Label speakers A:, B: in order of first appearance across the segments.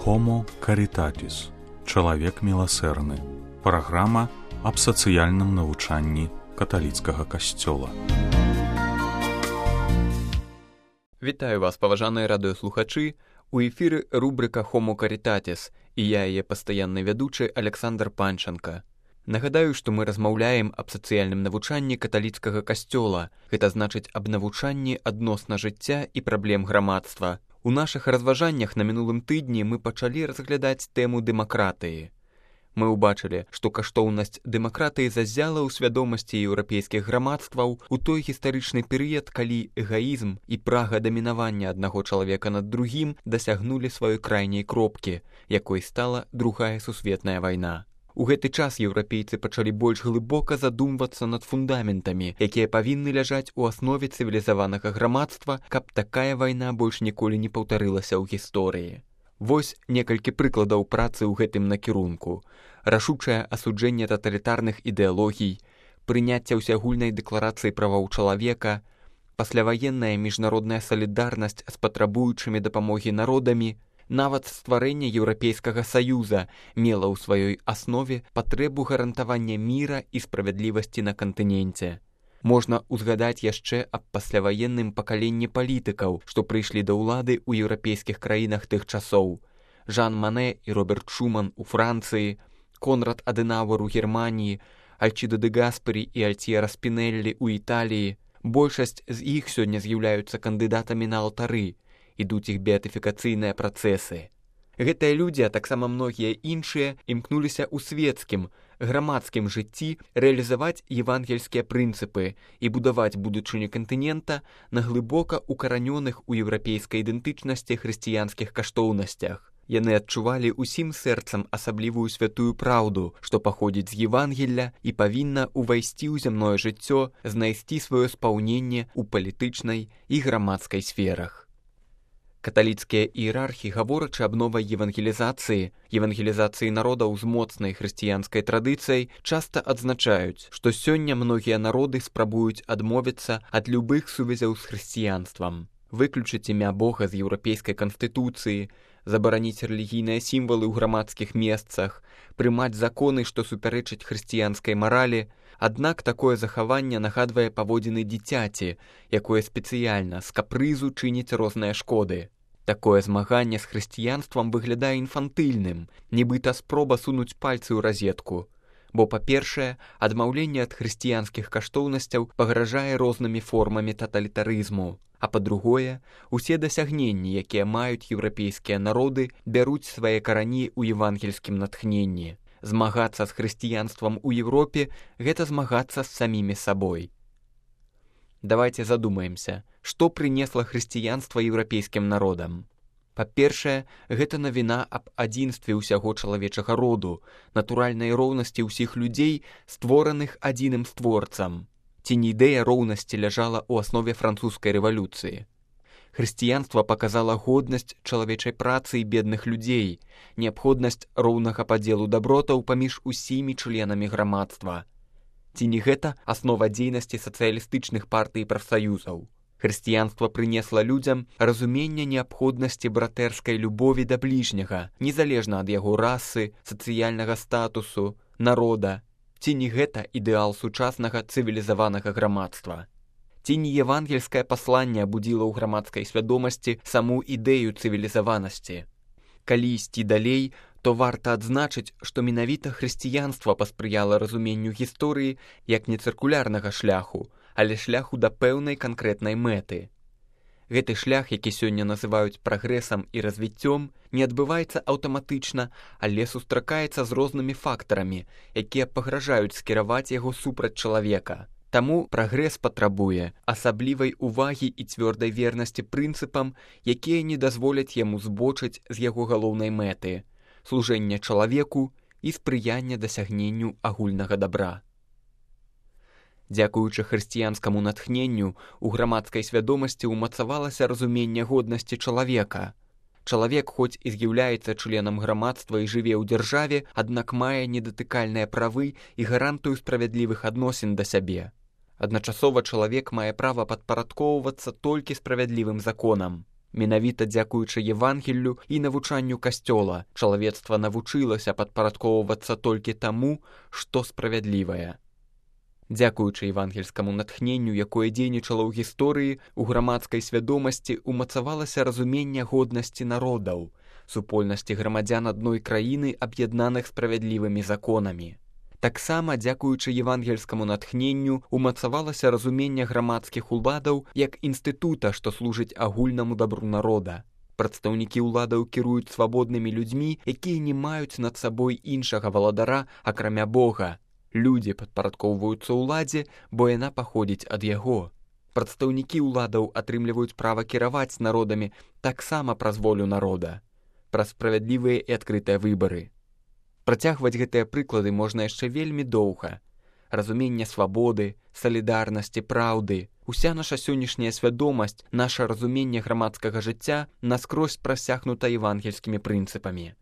A: Homo Caritatis. Чалавек міласэрны. Праграма аб сацыяльным навучанні каталіцкага касцёла.
B: Вітаю вас, паважаныя радыёслухачы. У эфіры рубрика Homo Caritatis, і я яе пастаянны вядучы Александр Панченко. Нагадаю, што мы размаўляем аб сацыяльным навучанні каталіцкага касцёла. Гэта значыць аб навучанні адносна жыцця і праблем грамадства. У нашых разважаннях на мінулым тыдні мы пачалі разглядаць тэму дэмакратыі. Мы ўбачылі, што каштоўнасць дэмакратыі заззяла ў свядомасці еўрапейскіх грамадстваў у той гістарычны перыяд, калі эгаізм і прага дамінавання аднаго чалавека над другім дасягнулі сваёй крайняй кропкі, якой стала Другая сусветная вайна. У гэты час еўрапейцы пачалі больш глыбока задумвацца над фундаментамі, якія павінны ляжаць у аснове цывілізаванага грамадства, каб такая вайна больш ніколі не паўтарылася ў гісторыі. Вось некалькі прыкладаў працы ў гэтым накірунку. Рашучае асуджэнне таталітарных ідэалогій, прыняцце ўсеагульнай дэкларацыі правоў чалавека, пасляваенная міжнародная салідарнасць з патрабуючымі дапамогі народамі, нават стварэнне Еўрапейскага саюза мела ў сваёй аснове патрэбу гарантавання міра і справядлівасці на кантыненце. Можна ўзгадаць яшчэ аб пасляваенным пакаленні палітыкаў, што прыйшлі да ўлады ў еўрапейскіх краінах тых часоў. Жан Мане і Роберт Шуман у Францыі, Конрад Адэнауэр у Германіі, Альчідо де Гаспері і Альтьера Спінеллі ў Італіі. Большасць з іх сёння з'яўляюцца кандыдатамі на алтары, ідуць іх беатыфікацыйныя працэсы. Гэтыя людзі, а таксама многія іншыя, імкнуліся ў свецкім, грамадскім жыцці рэалізаваць евангельскія прынцыпы і будаваць будучыню кантынента на глыбока укаранёных у еўрапейскай ідэнтычнасці хрысціянскіх каштоўнасцях. Яны адчувалі ўсім сэрцам асаблівую святую праўду, што паходзіць з Евангелля і павінна ўвайсці ў зямное жыццё, знайсці сваё спаўненне ў палітычнай і грамадскай сферах. Каталіцкія іерархі, гаворачы аб новай евангелізацыі народаў з моцнай хрысціянскай традыцыяй, часта адзначаюць, што сёння многія народы спрабуюць адмовіцца ад любых сувязяў з хрысціянствам, выключыць імя Бога з еўрапейскай канстытуцыі, забараніць рэлігійныя сімвалы ў грамадскіх месцах, прымаць законы, што супярэчаць хрысціянскай маралі. Аднак такое захаванне нагадвае паводзіны дзіцяці, якое спецыяльна з капрызу чыніць розныя шкоды. Такое змаганне з хрысціянствам выглядае інфантыльным, нібыта спроба сунуць пальцы ў разетку. Бо, па-першае, адмаўленне ад хрысціянскіх каштоўнасцяў пагражае рознымі формамі таталітарызму. А па-другое, усе дасягненні, якія маюць еўрапейскія народы, бяруць свае карані ў евангельскім натхненні. Змагацца з хрысціянствам у Европе – гэта змагацца з самімі сабой. Давайте задумаемся, што прынесла хрысціянства еўрапейскім народам. Па-першае, гэта навіна аб адзінстве ўсяго чалавечага роду, натуральнай роўнасці ўсіх людзей, створаных адзіным створцам. Ці не ідэя роўнасці ляжала ў аснове французскай рэвалюцыі. Хрысціянства паказала годнасць чалавечай працы і бедных людзей, неабходнасць роўнага падзелу дабротаў паміж усімі членамі грамадства. Ці не гэта аснова дзейнасці сацыялістычных партый і прафсаюзаў? Хрысціянства прынесла людзям разуменне неабходнасці братэрскай любові да бліжняга, незалежна ад яго расы, сацыяльнага статусу, народа. Ці не гэта ідэал сучаснага цывілізаванага грамадства? Ці не евангельскае пасланне абудзіла ў грамадскай свядомасці саму ідэю цывілізаванасці? Калі ісці далей, то варта адзначыць, што менавіта хрысціянства паспрыяла разуменню гісторыі як не цыркулярнага шляху, але шляху да пэўнай канкрэтнай мэты. Гэты шлях, які сёння называюць прагрэсам і развіццём, не адбываецца аўтаматычна, але сустракаецца з рознымі фактарамі, якія пагражаюць скіраваць яго супраць чалавека. Таму прагрэс патрабуе асаблівай увагі і цвёрдай вернасці прынцыпам, якія не дазволяць яму збочыць з яго галоўнай мэты – служэння чалавеку і спрыяння дасягненню агульнага дабра. Дзякуючы хрысціянскаму натхненню, у грамадскай свядомасці ўмацавалася разуменне годнасці чалавека. Чалавек хоць і з'яўляецца членам грамадства і жыве ў дзяржаве, аднак мае недатыкальныя правы і гарантыю справядлівых адносін да сябе. Адначасова чалавек мае права падпарадкоўвацца толькі справядлівым законам. Менавіта дзякуючы Евангеллю і навучанню Касцёла чалавецтва навучылася падпарадкоўвацца толькі таму, што справядлівае. Дзякуючы евангельскаму натхненню, якое дзейнічала ў гісторыі, у грамадскай свядомасці умацавалася разуменне годнасці народаў, супольнасці грамадзян адной краіны, аб'яднаных справядлівымі законамі. Таксама, дзякуючы евангельскаму натхненню, умацавалася разуменне грамадскіх уладаў як інстытута, што служыць агульнаму дабру народа. Прадстаўнікі ўладаў кіруюць свабоднымі людзьмі, якія не маюць над сабой іншага валадара, акрамя Бога. Людзі падпарадкоўваюцца ўладзе, бо яна паходзіць ад яго. Прадстаўнікі ўладаў атрымліваюць права кіраваць народамі таксама праз волю народа, праз справядлівыя і адкрытыя выбары. Працягваць гэтыя прыклады можна яшчэ вельмі доўга. Разуменне свабоды, салідарнасці, праўды, уся наша сённяшняя свядомасць, наша разуменне грамадскага жыцця наскрозь прасякнута евангельскімі прынцыпамі.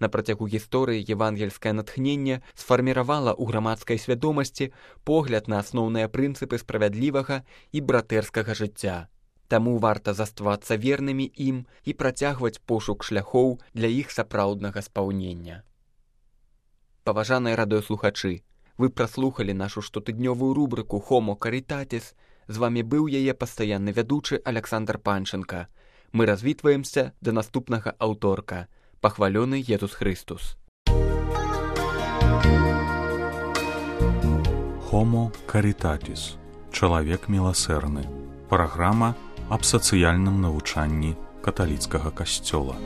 B: На працягу гісторыі евангельскае натхненне сфарміравала ў грамадскай свядомасці погляд на асноўныя прынцыпы справядлівага і братэрскага жыцця. Таму варта заставацца вернымі ім і працягваць пошук шляхоў для іх сапраўднага спаўнення. Паважаныя радыёслухачы, вы праслухалі нашу штотыднёвую рубрыку «Homo Caritatis». З вамі быў яе пастаянны вядучы Александр Панченко. Мы развітваемся да наступнага аўторка. Пахвалёны Езус Христус.
A: Homo Caritatis. Чалавек міласэрны. Праграма аб сацыяльным навучанні каталіцкага касцёла.